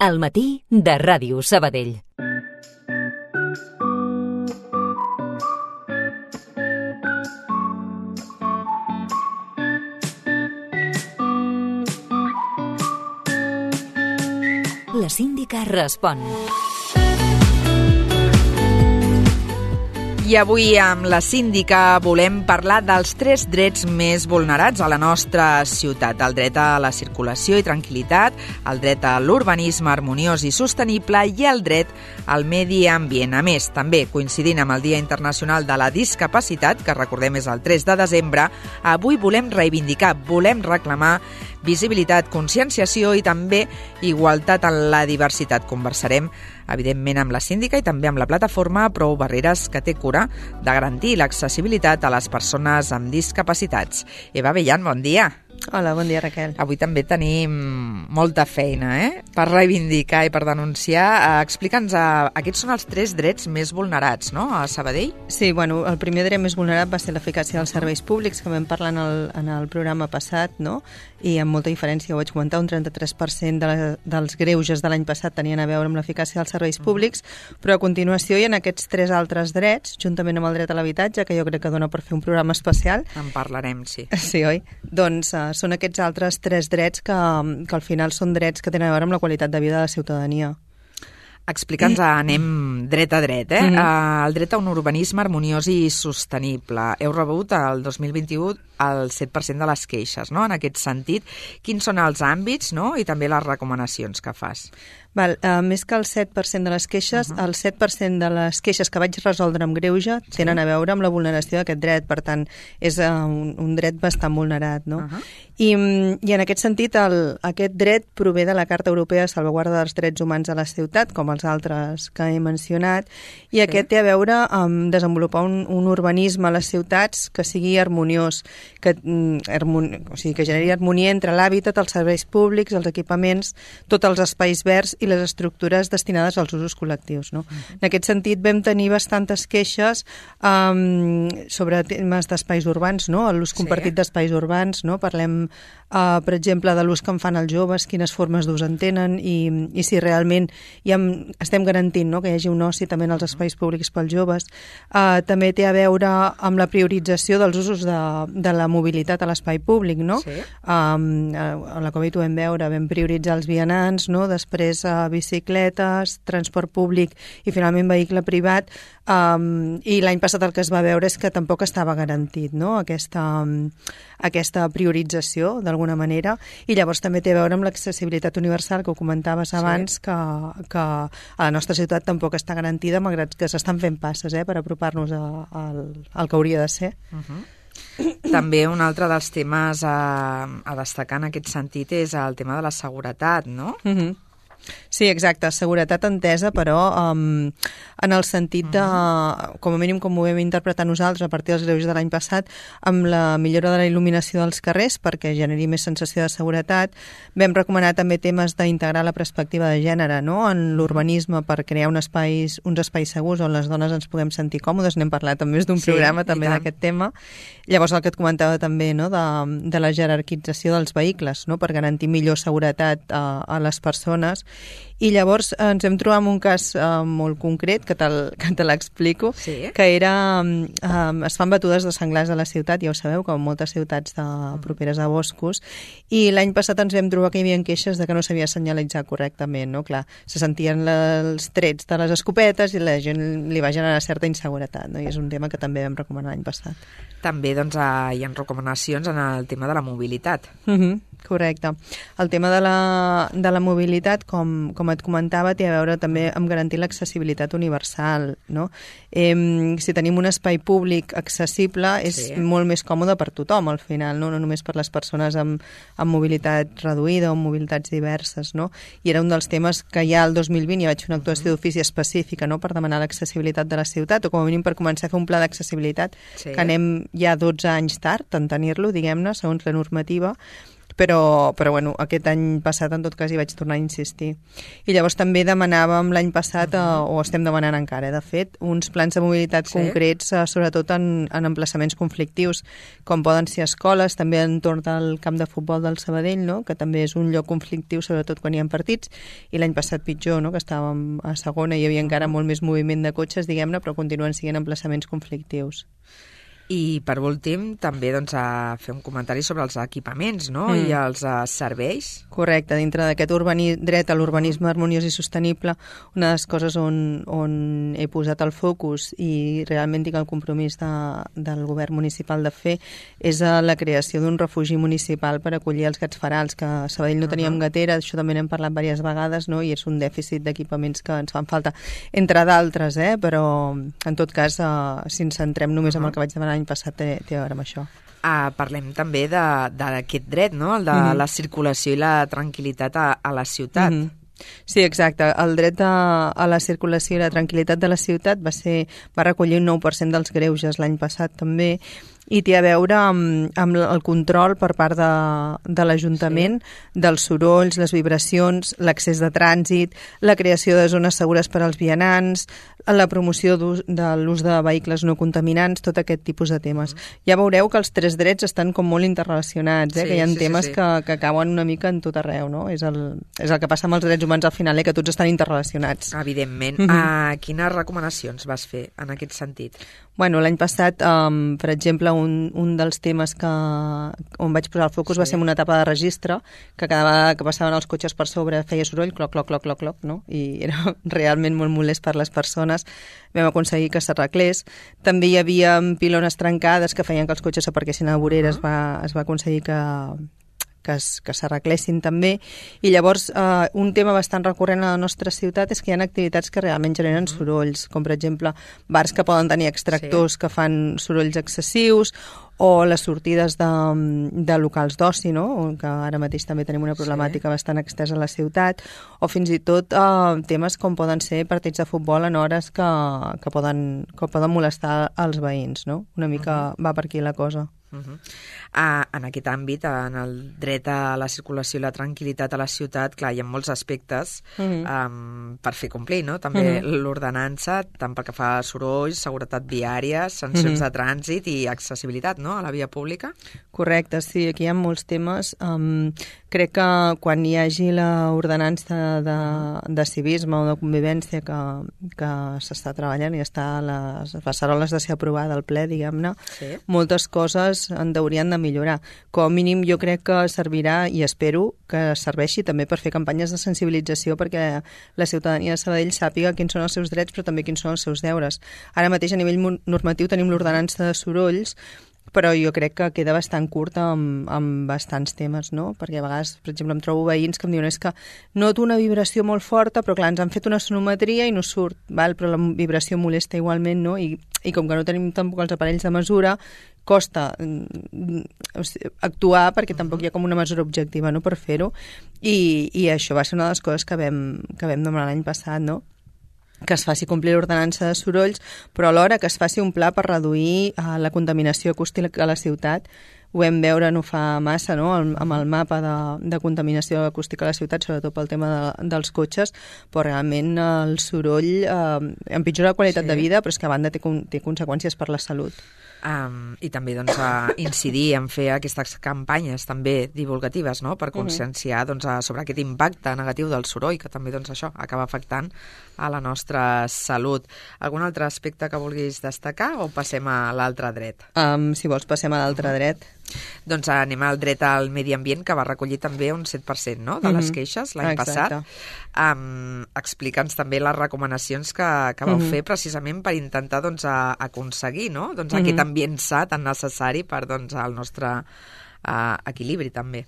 Al matí de Ràdio Sabadell. La síndica respon. I avui amb la síndica volem parlar dels 3 drets més vulnerats a la nostra ciutat. El dret a la circulació i tranquil·litat, el dret a l'urbanisme harmoniós i sostenible i el dret al medi ambient. A més, també coincidint amb el Dia Internacional de la Discapacitat, que recordem és el 3 de desembre, avui volem reivindicar, volem reclamar visibilitat, conscienciació i també igualtat en la diversitat. Conversarem, evidentment, amb la síndica i també amb la plataforma Prou Barreres, que té cura de garantir l'accessibilitat a les persones amb discapacitats. Eva Bellan, bon dia. Hola, bon dia, Raquel. Avui també tenim molta feina, per reivindicar i per denunciar. Explica'ns, aquests són els 3 drets més vulnerats, no?, a Sabadell? Sí, bueno, el primer dret més vulnerat va ser l'eficàcia dels serveis públics, que vam parlar en el programa passat, no?, i amb molta diferència, ho vaig comentar, un 33% dels greuges de l'any passat tenien a veure amb l'eficàcia dels serveis públics, però a continuació hi ha aquests 3 altres drets, juntament amb el dret a l'habitatge, que jo crec que dona per fer un programa especial. En parlarem, sí. Sí, oi? Doncs són aquests altres 3 drets que al final són drets que tenen a veure amb la qualitat de vida de la ciutadania. Explica'ns, anem dret a dret, El dret a un urbanisme harmoniós i sostenible. Heu rebut el 2021 el 7% de les queixes, no?, en aquest sentit. Quins són els àmbits, no?, i també les recomanacions que fas? Més que el 7% de les queixes, el 7% de les queixes que vaig resoldre amb greuge tenen a veure amb la vulneració d'aquest dret, per tant, és un dret bastant vulnerat, no? I en aquest sentit, aquest dret prové de la Carta Europea de Salvaguarda dels Drets Humans a la Ciutat, com els altres que he mencionat, i aquest té a veure amb desenvolupar un urbanisme a les ciutats que sigui harmoniós, que generi harmonia entre l'hàbitat, els serveis públics, els equipaments, tots els espais verds i les estructures destinades als usos col·lectius, no? En aquest sentit, vam tenir bastantes queixes sobre temes d'espais urbans, no?, l'ús compartit d'espais urbans, no? Parlem, per exemple, de l'ús que en fan els joves, quines formes d'ús en tenen i si realment estem garantint, no?, que hi hagi un oci també en els espais públics pels joves. També té a veure amb la priorització dels usos de la mobilitat a l'espai públic, no? A la Covid ho vam veure, vam prioritzar els vianants, no?, després bicicletes, transport públic i finalment vehicle privat, i l'any passat el que es va veure és que tampoc estava garantit, no?, aquesta priorització d'alguna manera, i llavors també té a veure amb l'accessibilitat universal que ho comentaves abans, que a la nostra ciutat tampoc està garantida, malgrat que s'estan fent passes per apropar-nos al que hauria de ser. També un altre dels temes a destacar en aquest sentit és el tema de la seguretat, no? Sí, exacte, seguretat entesa, però en el sentit de, com a mínim com ho vam interpretar nosaltres a partir dels greuges de l'any passat, amb la millora de la il·luminació dels carrers perquè generi més sensació de seguretat. Vam recomanar també temes d'integrar la perspectiva de gènere, no?, en l'urbanisme per crear uns espais segurs on les dones ens puguem sentir còmodes. N'hem parlat en més d'un programa també d'aquest tema. Llavors el que et comentava també, no?, de la jerarquització dels vehicles, no?, per garantir millor seguretat a les persones. I llavors ens hem trobat amb un cas molt concret, que te l'explico, que era, es fan batudes de senglars a la ciutat, ja ho sabeu, com moltes ciutats properes a boscos, i l'any passat ens vam trobar que hi havia queixes de que no s'havia senyalitzat correctament, no? Clar, se sentien els trets de les escopetes i la gent li va generar certa inseguretat, no? I és un tema que també vam recomanar l'any passat. També, doncs, hi ha recomanacions en el tema de la mobilitat. Correcte. El tema de la mobilitat, com et comentava, té a veure també amb garantir l'accessibilitat universal, no? Si tenim un espai públic accessible és molt més còmode per tothom, al final, no només per les persones amb mobilitat reduïda o amb mobilitats diverses, no? I era un dels temes que ja el 2020 ja vaig fer una actuació d'ofici específica, no?, per demanar l'accessibilitat de la ciutat, o com a mínim per començar a fer un pla d'accessibilitat, que anem ja 12 anys tard en tenir-lo, diguem-ne, segons la normativa, però bueno, aquest any passat en tot cas hi vaig tornar a insistir. I llavors també demanàvem l'any passat, o estem demanant encara, de fet, uns plans de mobilitat concrets, sobretot en emplaçaments conflictius, com poden ser escoles, també entorn del camp de futbol del Sabadell, no? Que també és un lloc conflictiu, sobretot quan hi ha partits, i l'any passat pitjor, no? Que estàvem a segona i hi havia encara molt més moviment de cotxes, diguem-ne, però continuen sent emplaçaments conflictius. I, per últim, també a fer un comentari sobre els equipaments, no? I els serveis. Correcte, dintre d'aquest dret a l'urbanisme harmoniós i sostenible, una de les coses on he posat el focus i realment tinc el compromís del govern municipal de fer és la creació d'un refugi municipal per acollir els gats ferals, que a Sabadell no teníem gatera, això també n'hem parlat diverses vegades, no? I és un dèficit d'equipaments que ens fan falta, entre d'altres, però en tot cas, si ens centrem només en el que vaig demanar l'any passat, té a veure amb això. Parlem també d'aquest dret, no? El de la circulació i la tranquil·litat a la ciutat. Sí, exacte. El dret a la circulació i la tranquil·litat de la ciutat va recollir un 9% dels greuges l'any passat també, i té a veure amb el control per part de l'Ajuntament dels sorolls, les vibracions, l'accés de trànsit, la creació de zones segures per als vianants, la promoció de l'ús de vehicles no contaminants, tot aquest tipus de temes. Ja veureu que els 3 drets estan com molt interrelacionats, que hi ha temes que cauen una mica en tot arreu, no? És el que passa amb els drets humans al final, que tots estan interrelacionats. Evidentment. Quines recomanacions vas fer en aquest sentit? Bueno, l'any passat, per exemple, un dels temes on vaig posar el focus va ser una etapa de registre, que cada vegada que passaven els cotxes per sobre feia soroll, cloc, cloc, cloc, cloc, cloc, no? I era realment molt molest per les persones. Vam aconseguir que s'arreglés. També hi havia pilones trencades que feien que els cotxes aparquessin a la vorera, es va aconseguir que s'arreglessin també. I llavors, un tema bastant recurrent a la nostra ciutat és que hi ha activitats que realment generen sorolls, com per exemple bars que poden tenir extractors que fan sorolls excessius, o les sortides de locals d'oci, no? Que ara mateix també tenim una problemàtica bastant extensa a la ciutat, o fins i tot temes com poden ser partits de futbol en hores que poden molestar els veïns, no? Una mica va per aquí la cosa. En aquest àmbit, en el dret a la circulació i la tranquil·litat a la ciutat, clar, hi ha molts aspectes per fer complir, no? També l'ordenança, tant pel que fa a sorolls, seguretat viària, sancions de trànsit i accessibilitat, no?, a la via pública. Correcte, sí, aquí hi ha molts temes. Crec que quan hi hagi l'ordenança de civisme o de convivència que s'està treballant i està a les passaroles de ser aprovada al ple, diguem-ne, moltes coses en haurien de millorar. Com a mínim jo crec que servirà, i espero que serveixi també per fer campanyes de sensibilització perquè la ciutadania de Sabadell sàpiga quins són els seus drets però també quins són els seus deures. Ara mateix a nivell normatiu tenim l'ordenança de sorolls, però jo crec que queda bastant curt amb bastants temes, no? Perquè a vegades, per exemple, em trobo veïns que em diuen és que noto una vibració molt forta, però clar, ens han fet una sonometria i no surt, però la vibració molesta igualment, no? I com que no tenim tampoc els aparells de mesura, costa actuar perquè tampoc hi ha com una mesura objectiva, no?, per fer-ho, i això va ser una de les coses que vam demanar l'any passat, no?, que es faci complir l'ordenança de sorolls, però alhora que es faci un pla per reduir la contaminació acústica a la ciutat. Ho vam veure no fa massa, no?, amb el mapa de contaminació acústica a la ciutat, sobretot pel tema dels cotxes, però realment el soroll empitjora la qualitat de vida, però és que a banda té conseqüències per la salut. I també incidir en fer aquestes campanyes també divulgatives, no?, per conscienciar sobre aquest impacte negatiu del soroll, que també això acaba afectant a la nostra salut. Algun altre aspecte que vulguis destacar o passem a l'altre dret? Si vols passem a l'altre dret. Doncs anem al dret al medi ambient, que va recollir també un 7%, no?, de les queixes l'any passat. Explica'ns també les recomanacions que vau fer precisament per intentar aconseguir, no?, aquest ambient sa tan necessari per al nostre equilibri també.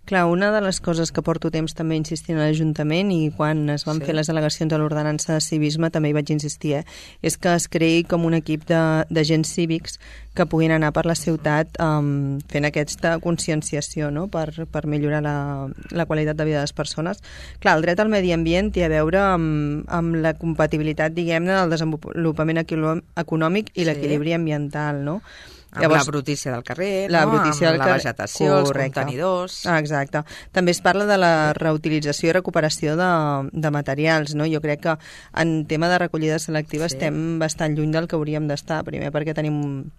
Clar, una de les coses que porto temps també insistint a l'Ajuntament, i quan es van fer les delegacions a l'ordenança de civisme també hi vaig insistir, és que es creï com un equip d'agents cívics que puguin anar per la ciutat fent aquesta conscienciació, no?, per millorar la qualitat de vida de les persones. Clar, el dret al medi ambient té a veure amb la compatibilitat, diguem-ne, del desenvolupament econòmic i l'equilibri ambiental, no? Amb llavors, la brutícia del carrer, amb la vegetació, els contenidors... Exacte. També es parla de la reutilització i recuperació de materials, no? Jo crec que en tema de recollida selectiva estem bastant lluny del que hauríem d'estar, primer perquè tenim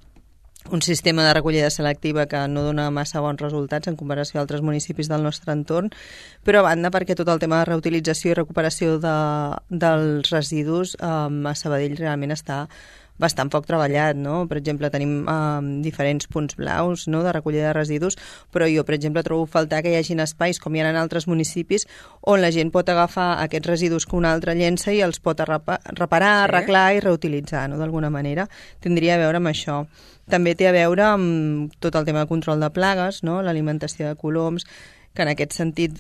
un sistema de recollida selectiva que no dona massa bons resultats en comparació a altres municipis del nostre entorn, però a banda perquè tot el tema de reutilització i recuperació dels residus a Sabadell realment està bastant poc treballat, no? Per exemple, tenim diferents punts blaus, no?, de recollida de residus, però jo, per exemple, trobo a faltar que hi hagin espais, com hi ha en altres municipis, on la gent pot agafar aquests residus que un altre llença i els pot reparar, arreglar i reutilitzar, no?, d'alguna manera. Tindria a veure amb això. També té a veure amb tot el tema de control de plagues, no?, l'alimentació de coloms, que en aquest sentit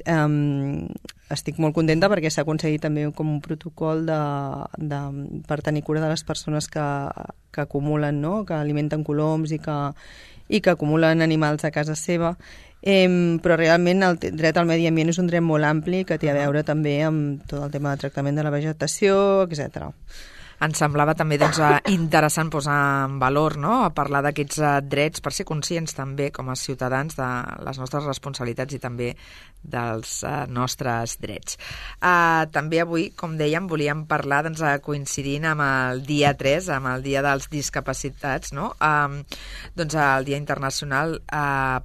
estic molt contenta perquè s'ha aconseguit també com un protocol per tenir cura de les persones que acumulen, no?, que alimenten coloms i que acumulen animals a casa seva. Però realment el dret al medi ambient és un dret molt ampli que té a veure també amb tot el tema de tractament de la vegetació, etc. Ens semblava també interessant posar en valor, no?, a parlar d'aquests drets per ser conscients també com a ciutadans de les nostres responsabilitats i també dels nostres drets. També avui, com dèiem, volíem parlar, coincidint amb el dia 3, amb el dia dels discapacitats, no?, el Dia Internacional,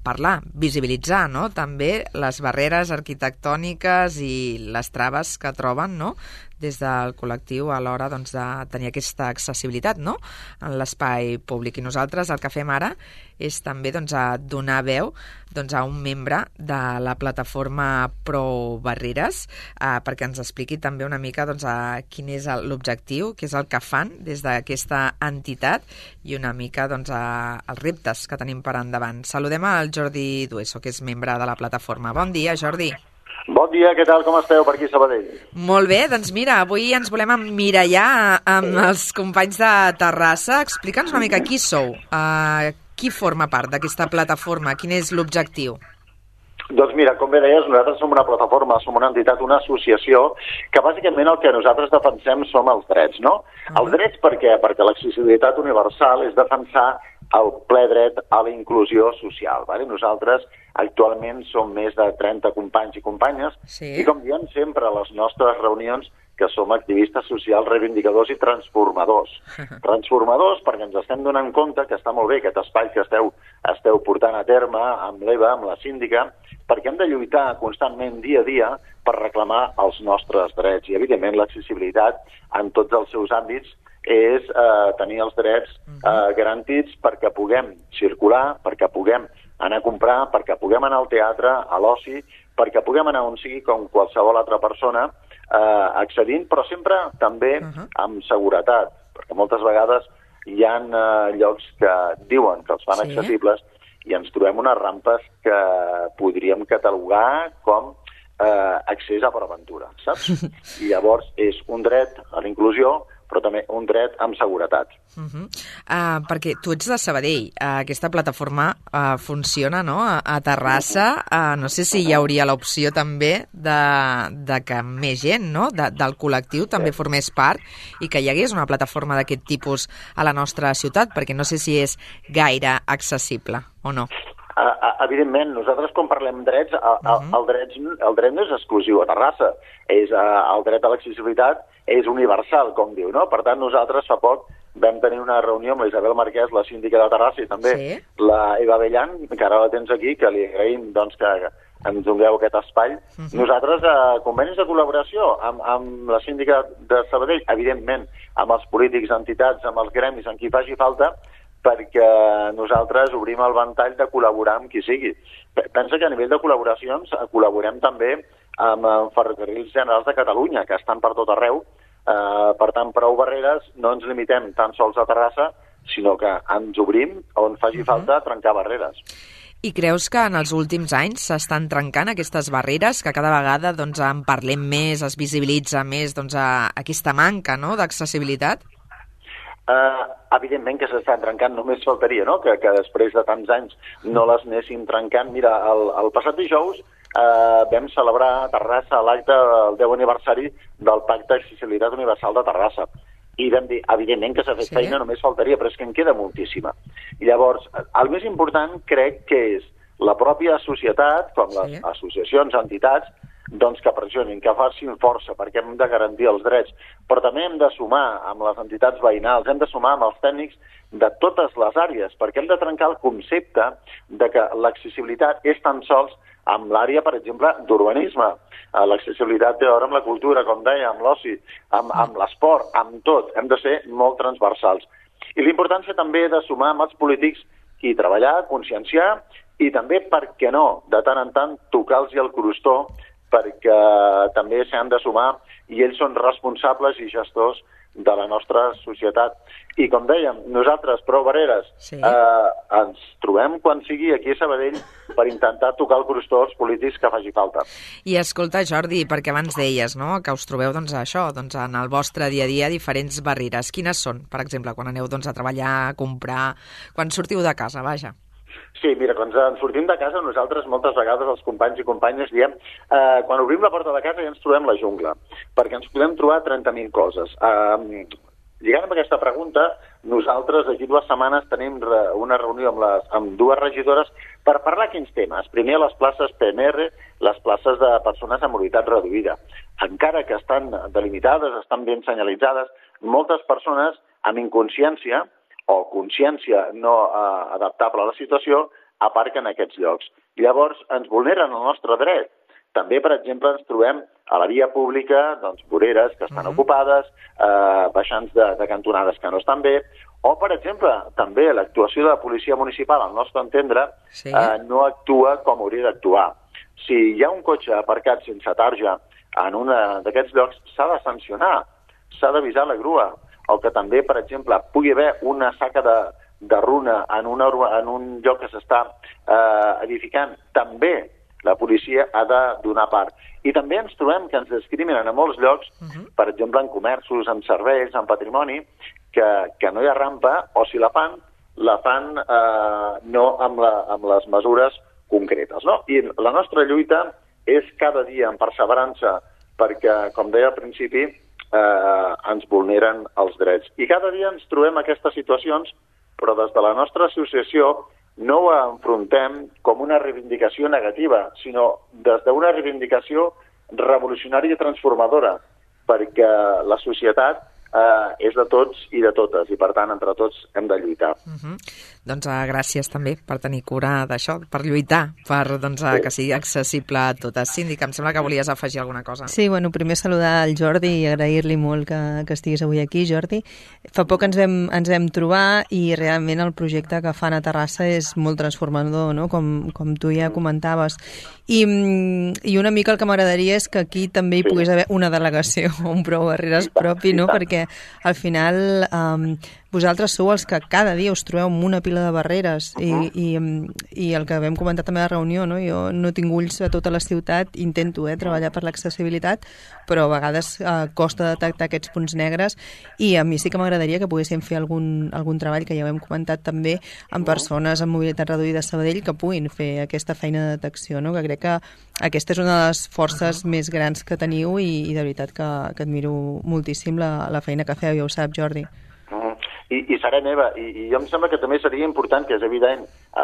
parlar, visibilitzar, no?, també les barreres arquitectòniques i les traves que troben, no?, des del col·lectiu a l'hora de tenir aquesta accessibilitat, no?, en l'espai públic. I nosaltres el que fem ara és també donar veu a un membre de la plataforma Pro Barreres perquè ens expliqui també una mica quin és l'objectiu, què és el que fan des d'aquesta entitat i una mica els reptes que tenim per endavant. Saludem al Jordi Dueso, que és membre de la plataforma. Bon dia, Jordi. Bon dia, què tal, com esteu per aquí a Sabadell? Molt bé, doncs mira, avui ens volem emmirallar amb els companys de Terrassa. Explica'ns una mica qui sou, qui forma part d'aquesta plataforma, quin és l'objectiu? Doncs mira, com bé deies, nosaltres som una plataforma, som una entitat, una associació, que bàsicament el que nosaltres defensem som els drets, no? Els drets per què? Perquè l'accessibilitat universal és defensar el ple dret a la inclusió social. Vale? Nosaltres actualment som més de 30 companys i companyes i com diem sempre a les nostres reunions que som activistes socials, reivindicadors i transformadors. Transformadors perquè ens estem donant compte que està molt bé aquest espai que esteu portant a terme amb l'Eva, amb la síndica, perquè hem de lluitar constantment dia a dia per reclamar els nostres drets i, evidentment, l'accessibilitat en tots els seus àmbits és tenir els drets garantits perquè puguem circular, perquè puguem anar a comprar, perquè puguem anar al teatre, a l'oci, perquè puguem anar on sigui com qualsevol altra persona accedint, però sempre també amb seguretat, perquè moltes vegades hi ha llocs que diuen que els fan accessibles i ens trobem unes rampes que podríem catalogar com accés a per aventura, saps? I llavors és un dret a la inclusió, però també un dret amb seguretat. Perquè tu ets de Sabadell, aquesta plataforma funciona, no?, a Terrassa, no sé si hi hauria l'opció també de que més gent, no?, del col·lectiu també formés part i que hi hagués una plataforma d'aquest tipus a la nostra ciutat, perquè no sé si és gaire accessible o no. Evidentment, nosaltres quan parlem drets, el dret no és exclusiu a Terrassa, el dret a l'accessibilitat és universal, com diu, no? Per tant, nosaltres fa poc vam tenir una reunió amb la Isabel Marquès, la síndica de Terrassa, i també la Eva Bellan, que ara la tens aquí, que li agraïm que ens doneu aquest espai. Nosaltres, convenis de col·laboració amb la síndica de Sabadell, evidentment, amb els polítics, entitats, amb els gremis, amb qui faci falta, perquè nosaltres obrim el ventall de col·laborar amb qui sigui. Pensa que a nivell de col·laboracions col·laborem també amb Ferrocarrils Generals de Catalunya, que estan per tot arreu. Per tant, Prou Barreres no ens limitem tan sols a Terrassa, sinó que ens obrim on faci falta trencar barreres. I creus que en els últims anys s'estan trencant aquestes barreres, que cada vegada en parlem més, es visibilitza més aquesta manca, no?, d'accessibilitat? Evidentment que s'estan trencant, només faltaria, no?, que després de tants anys no les anéssim trencant. Mira, el passat dijous vam celebrar a Terrassa l'acte del 10 aniversari del Pacte d'Accessibilitat Universal de Terrassa. i vam dir, evidentment que s'ha fet feina, només faltaria, però és que en queda moltíssima. I llavors, el més important crec que és la pròpia societat, com les associacions, entitats, doncs que pressionin, que facin força, perquè hem de garantir els drets, però també hem de sumar amb les entitats veïnals, hem de sumar amb els tècnics de totes les àrees, perquè hem de trencar el concepte de que l'accessibilitat és tan sols amb l'àrea, per exemple, d'urbanisme. L'accessibilitat té a veure amb la cultura, com deia, amb l'oci, amb l'esport, amb tot. Hem de ser molt transversals. I l'importància també de sumar amb els polítics i treballar, conscienciar, i també, per què no, de tant en tant, tocar-los el crostó, perquè també s'han de sumar i ells són responsables i gestors de la nostra societat. I com dèiem, nosaltres, Prou Barreres, ens trobem quan sigui aquí a Sabadell per intentar tocar el crostó als polítics que faci falta. I escolta, Jordi, perquè abans deies, no?, que us trobeu això, en el vostre dia a dia diferents barreres. Quines són, per exemple, quan aneu a treballar, a comprar, quan sortiu de casa, vaja? Sí, mira, quan ens sortim de casa, nosaltres moltes vegades els companys i companyes diem quan obrim la porta de casa ja ens trobem la jungla, perquè ens podem trobar 30.000 coses. Lligant amb aquesta pregunta, nosaltres d'aquí 2 setmanes tenim una reunió amb 2 regidores per parlar quins temes. Primer, les places PMR, les places de persones amb mobilitat reduïda. Encara que estan delimitades, estan ben senyalitzades, moltes persones amb inconsciència o consciència no adaptable a la situació aparquen en aquests llocs. Llavors, ens vulneren el nostre dret. També, per exemple, ens trobem a la via pública, voreres que estan ocupades, baixants de cantonades que no estan bé, o, per exemple, també l'actuació de la policia municipal, al nostre entendre, no actua com hauria d'actuar. Si hi ha un cotxe aparcat sense tarja en un d'aquests llocs, s'ha de sancionar, s'ha d'avisar la grua, o que també, per exemple, pugui haver una saca de runa en un lloc que s'està edificant, també la policia ha de donar part. I també ens trobem que ens discriminen a molts llocs, per exemple, en comerços, en serveis, en patrimoni, que no hi ha rampa, o si la fan no amb les mesures concretes. No? I la nostra lluita és cada dia en perseverança, perquè, com deia al principi, ens vulneren els drets. I cada dia ens trobem aquestes situacions, però des de la nostra associació no ho enfrontem com una reivindicació negativa, sinó des d'una reivindicació revolucionària i transformadora, perquè la societat és de tots i de totes, i per tant, entre tots hem de lluitar. Doncs gràcies també per tenir cura d'això, per lluitar, per que sigui accessible a totes. Síndic, em sembla que volies afegir alguna cosa. Sí, primer saludar el Jordi i agrair-li molt que estiguis avui aquí, Jordi. Fa poc ens vam trobar i realment el projecte que fan a Terrassa és molt transformador, no? Com tu ja comentaves. I una mica el que m'agradaria és que aquí també hi pogués haver una delegació, un Prou Barreres propi, no? Perquè al final vosaltres sou els que cada dia us trobeu amb una pila de barreres i el que vam comentar també a la reunió, no? Jo no tinc ulls a tota la ciutat, intento treballar per l'accessibilitat, però a vegades costa detectar aquests punts negres i a mi sí que m'agradaria que poguéssim fer algun treball, que ja ho hem comentat també, amb persones amb mobilitat reduïda a Sabadell que puguin fer aquesta feina de detecció, no? Que crec que aquesta és una de les forces més grans que teniu i de veritat que admiro moltíssim la feina que feu, ja ho sap, Jordi. I serà meva, i jo em sembla que també seria important, que és evident,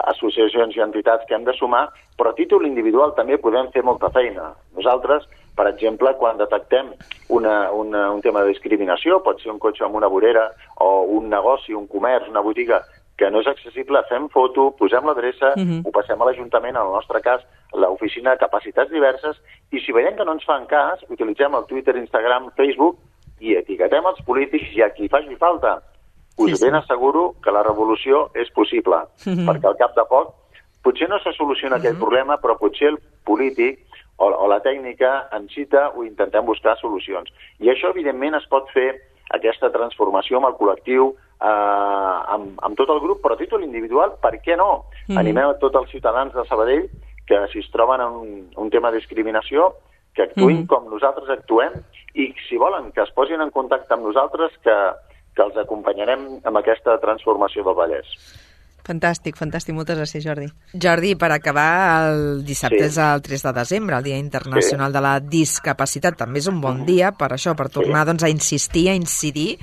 associacions i entitats que hem de sumar, però a títol individual també podem fer molta feina. Nosaltres, per exemple, quan detectem un tema de discriminació, pot ser un cotxe amb una vorera o un negoci, un comerç, una botiga que no és accessible, fem foto, posem l'adreça, ho passem a l'Ajuntament, en el nostre cas, l'oficina de capacitats diverses, i si veiem que no ens fan cas, utilitzem el Twitter, Instagram, Facebook, i etiquetem els polítics i a qui faci falta. Us ben asseguro que la revolució és possible, perquè al cap de poc potser no se soluciona aquell problema, però potser el polític o la tècnica ens cita o intentem buscar solucions. I això, evidentment, es pot fer, aquesta transformació amb el col·lectiu, amb tot el grup, però a títol individual, per què no? Animem a tots els ciutadans de Sabadell que si es troben en un tema de discriminació, que actuïn com nosaltres actuem, i si volen que es posin en contacte amb nosaltres, que els acompanyarem amb aquesta transformació del Vallès. Fantàstic, fantàstic. Moltes gràcies, Jordi. Jordi, per acabar, el dissabte és el 3 de desembre, el Dia Internacional de la Discapacitat. També és un bon dia per això, per tornar a insistir, a incidir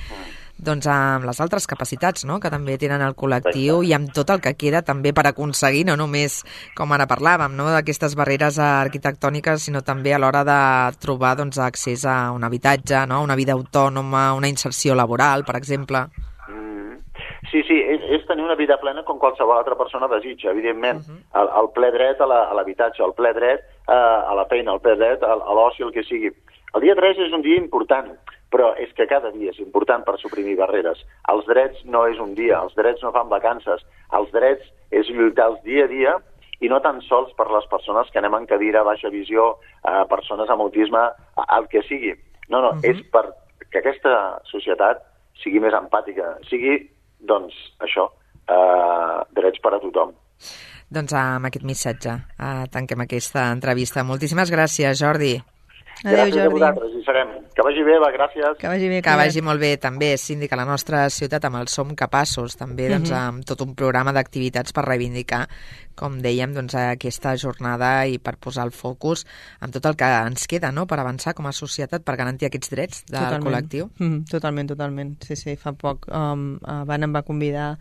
doncs, amb les altres capacitats, no?, que també tenen el col·lectiu i amb tot el que queda també per aconseguir, no només, com ara parlàvem, no?, d'aquestes barreres arquitectòniques, sinó també a l'hora de trobar, doncs, accés a un habitatge, no?, una vida autònoma, una inserció laboral, per exemple. Sí, és tenir una vida plena com qualsevol altra persona desitja, evidentment. El ple dret a l'habitatge, el ple dret a la feina, el ple dret a l'oci, el que sigui. El dia 3 és un dia important, però és que cada dia és important per suprimir barreres. Els drets no és un dia, els drets no fan vacances. Els drets és lluitar dia a dia i no tan sols per les persones que anem en cadira, baixa visió, persones amb autisme, el que sigui. No, és perquè aquesta societat sigui més empàtica, sigui, doncs, això, drets per a tothom. Doncs amb aquest missatge tanquem aquesta entrevista. Moltíssimes gràcies, Jordi. Adéu, Jordi. Gràcies a vosaltres, hi serem. Que vagi bé, gràcies. Que vagi bé. Que vagi molt bé, també, síndic, a la nostra ciutat amb el Som Capaços, també, doncs, amb tot un programa d'activitats per reivindicar, com dèiem, doncs, aquesta jornada i per posar el focus en tot el que ens queda, no?, per avançar com a societat, per garantir aquests drets del col·lectiu. Totalment. Sí, fa poc Van em va convidar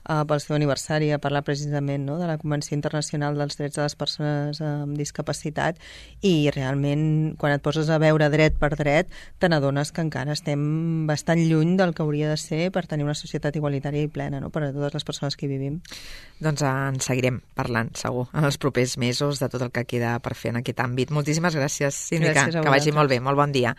pel seu aniversari a parlar precisament, no?, de la Convenció Internacional dels Drets de les Persones amb Discapacitat, i realment quan et poses a veure dret per dret te n'adones que encara estem bastant lluny del que hauria de ser per tenir una societat igualitària i plena, no?, per a totes les persones que hi vivim. Doncs en seguirem parlant, segur, en els propers mesos de tot el que queda per fer en aquest àmbit. Moltíssimes gràcies, síndica. Gràcies a que vagi vosaltres. molt bé, molt bon dia.